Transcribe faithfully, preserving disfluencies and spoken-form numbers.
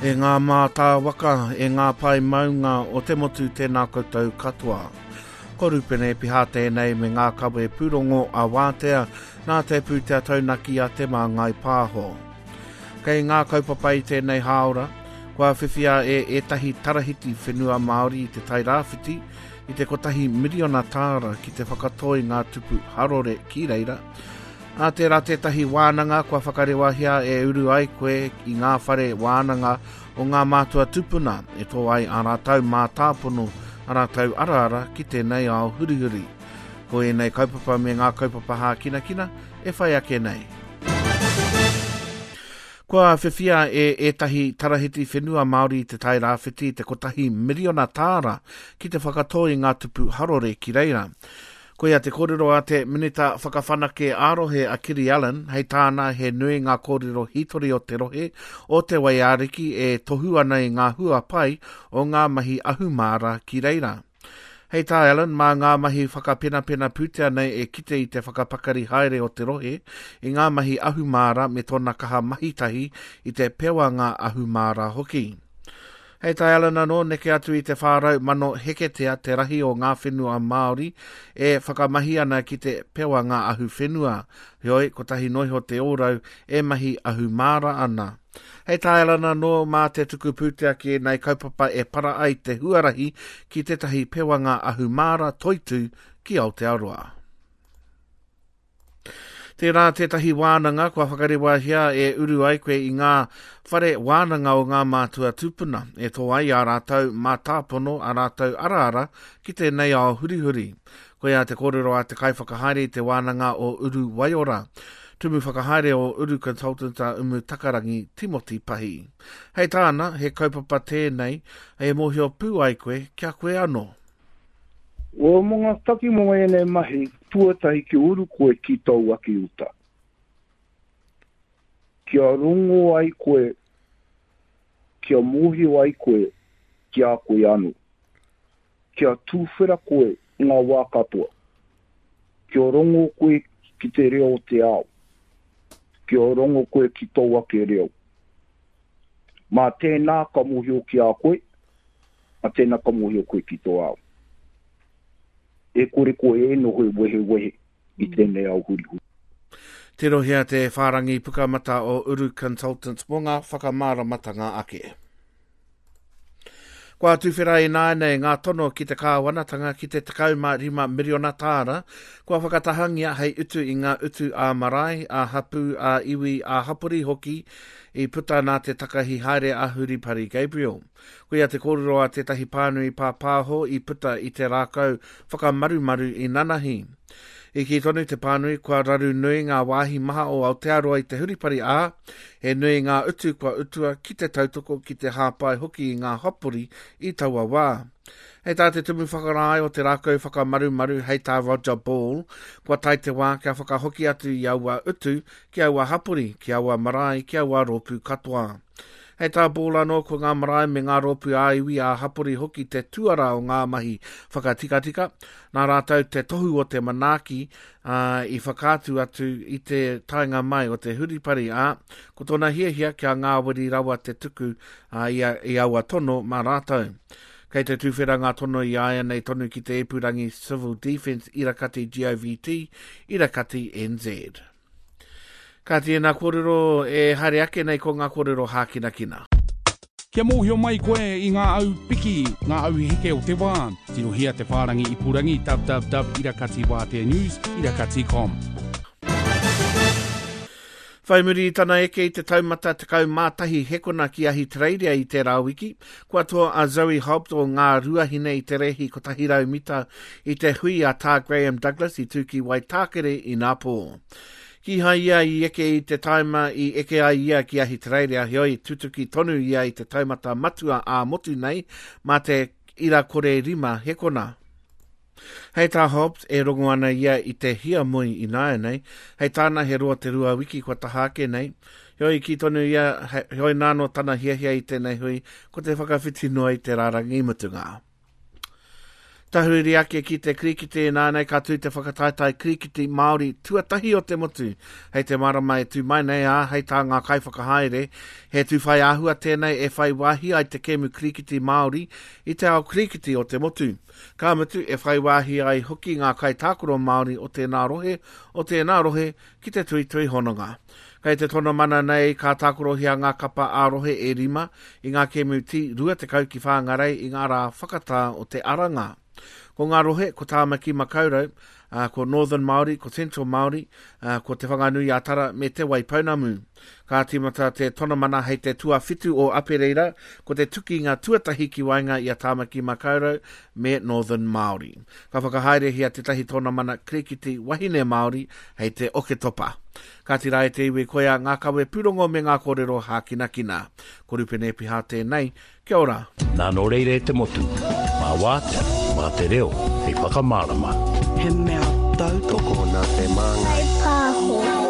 E ngā mātāwaka, e ngā pae maunga o te motu tēnā koutou katoa. Ko Rupene Piha tēnei me ngā kawe pūrongo a Wātea nā te pūtea taunaki a Te Māngai Pāho. Kei ngā kaupapa i tēnei hāora, kua whiwhia e ētahi tarahiti whenua Māori i te Tairāwhiti i te kotahi miriona tāra ki te whakatoi ngā tupu harore ki reira. Ā tērā tētahi wānanga kua whakarewahia e uru ai koe i ngā whare wānanga o ngā mātua tupuna e tō ai ā rātou mātāpono, ā rātou araara ki tēnei ao hurihuri. Ko ēnei kaupapa me ngā kaupapa hākinakina e whai ake nei. Kua whiwhia e ētahi tarahiti whenua Māori i te Tairāwhiti te kotahi miriona tāra ki te whakatō i ngā tupu harore ki reira. Koia te kōrero a te Minita Whakawhanake ā-rohe a Kiri Allan, hei tāna he nui ngā kōrero hītori o te rohe o te Waiariki e tohu ana i ngā hua pai o ngā mahi ahumāra ki reira. Hei tā Allan, mā ngā mahi whakapenapena pūtea nei e kite i te whakapakari haere o te rohe i ngā mahi ahumāra me tōna kaha mahitahi i te pewanga ahumāra hoki. Hei tā Allan anō, neke atu i te whārau mano heketea te rahi o ngā whenua Māori e whakamahi ana ki te pewanga ahuwhenua. Heoi, kotahi noiho te ōrau e mahi ahumāra ana. Hei tā Allan anō, mā te tuku pūtea ki ēnei kaupapa e para ai te huarahi ki tētahi pewanga ahumāra toitū ki Aotearoa. Tērā tētahi wānanga kua whakarewahia e uru ai koe i ngā whare wānanga o ngā mātua tūpuna e tō ai ā rātou mātāpono, ā rātou araara ki tēnei ao hurihuri. Koia te kōrero a te kaiwhakahaere i te wānanga o Uru Waiora. Tumu whakahaere o Uru Consultant a Umu Takarangi Timoti Pahi. Hei tāna, he kaupapa tēnei e mōhio pū ai koe kia koe anō. O mō ngā taki mō ēnei mahi, tuatahi ki uru koe ki tōu ake uta. Kia rongo ai koe, kia mōhio ai koe ki a koe anō. Kia tūwhera koe i ngā wā katoa. Kia rongo koe ki te reo o te ao. Kia rongo koe ki tōu ake reo. Mā tēnā ka mōhio ki a koe, mā tēnā ka mōhio koe ki tō ao. E kore koe e noho e wehe wehe i tēnei ao hurihuri. Tirohia te whārangi pukamata o Uru Consultants mō ngā whakamāramatanga ake. Kua tuwhera ināianei ngā tono ki te kāwanatanga ki te tekau mā rima miriona tāra, kua whakatahangia hei utu i ngā utu ā-marae, ā-hapū, ā-iwi, ā-hapori hoki i puta nā te takahi haere a Huripari Gabriel. Koia te kōrero a tētahi pānui pāpāho i puta i te rākau whakamarumaru i nanahi. I kī tonu te pānui kua raru nui ngā wāhi maha o Aotearoa i te huripari ā, he nui ngā utu kua utua ki te tautoko ki te hāpai hoki i ngā hapori i taua wā. Hei tā te tumu whakarae o te rākau whakamarumaru hei tā Roger Ball, kua tae te wā kia whakahoki atu i aua utu ki aua hapori, ki aua marae, ki aua rōpū katoa. Hei tā Ball anō ko ngā marae me ngā rōpū ā-iwi ā-hapori hoki te tuara o ngā mahi whakatikatika, nā rātou te tohu o te manaaki uh, i whakaatu atu i te taenga mai o te huripari ā, ko tōna hiahia kia ngāwari rawa te tuku uh, i, a, i aua tono mā rātou. Kei te tūwhera ngā tono i āianei tonu ki te epurangi Civil Defence Irakati G O V T, Irakati N Z. Ka tēnā kōrero e haere ake nei ko ngā kōrero hākinakina. Kia mōhio mai koe i ngā au piki, ngā au heke o te wā. Tirohia te whārangi ipurangi w w w irakati wātea news irakati com. Whai muri i tana eke i te taumata tekau mātahi hekona ki Ahitereiria i tērā wiki, kua toa a Zoe Hobbs o Ngā Ruahine i te rehi kotahi rau mita i te hui a Tā Graham Douglas i tū ki Waitākere i Nāpō. Kīhai ia i eke i te taima i eke ai ia ki Ahitereiria, heoi tutuki tonu ia i te taumata matua ā-motu nei mā te ira kore rima hekona. Hei tā Hobbs, e rongo ana ia i te hiamoi i nāianei, hei tāna he roa te rua wiki kua taha ake nei, heoi ki tonu ia, heoi nāno tana hiahia i tēnei hui, ko te whakawhiti noa i te rārangi mutunga. Tahuri ake ki te kirikiti nānei ka tū te whakataetae kirikiti Māori tuatahi o te motu. Hei te marama e tū mai nei ā, hei tā ngā kaiwhakahaere, he tū whai āhua tēnei e whai wāhi ai te kēmu kirikiti Māori i te ao kirikiti o te motu. Ka mutu e whai wāhi ai hoki ngā kaitākaro Māori o tēnā rohe, o tēnā rohe ki te tuitui hononga. Kei te tonomana nei ka tākorohia ngā kapa ā-rohe e rima i ngā kēmu T rua tekau ki Whangarei i ngā rā whakatā o te aranga. Ko ngā rohe, ko Tāmaki Makaurau, uh, ko Northern Māori, ko Central Māori, uh, ko Te Whanganui a Tara me Te Waipounamu. Ka tīmata te tonomana hei te tuawhitu o Apereira, ko te tukinga tuatahi ki waenga i a Tāmaki Makaurau me Northern Māori. Ka whakahaerehia tētahi tonomana kirikiti wahine Māori hei te Oketopa. Ka tira e te iwi koia ngā kawe pūrongo me ngā kōrero hākinakina. Ko Rupene Piha tēnei, kia ora. Nā nō reira e te motu, mā wātea, mā te reo, hei whakamārama. He mea tautoko Tokona te māngai. Pāho.